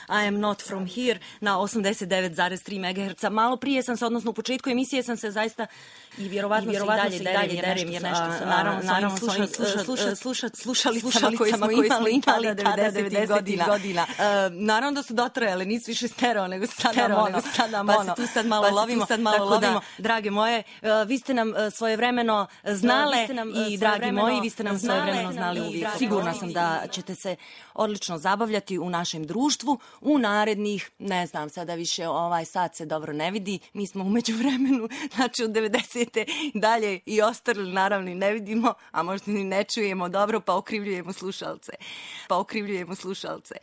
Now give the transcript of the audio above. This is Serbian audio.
I am not from here na 89,3 MHz. Malo prije sam se, odnosno u početku emisije sam se zaista i vjerovatno se i dalje derem jer nešto se naravno slušalicama koje smo imali tada 90 godina. Naravno da su dotrajale, nisu više stereo nego sada mono. Pa se tu sad malo lovimo. Tako da, drage moje, vi ste nam svojevremeno znale i dragi moji, vi ste nam svojevremeno znali uvijek. Sigurna sam da ćete se odlično zabavljati u našem društvu u narednih, ne znam, sada više ovaj sat se dobro ne vidi, mi smo u međuvremenu, znači od 90. dalje i ostali naravno i ne vidimo, a možda ni ne čujemo dobro, pa okrivljujemo slušalce. Pa okrivljujemo slušalce.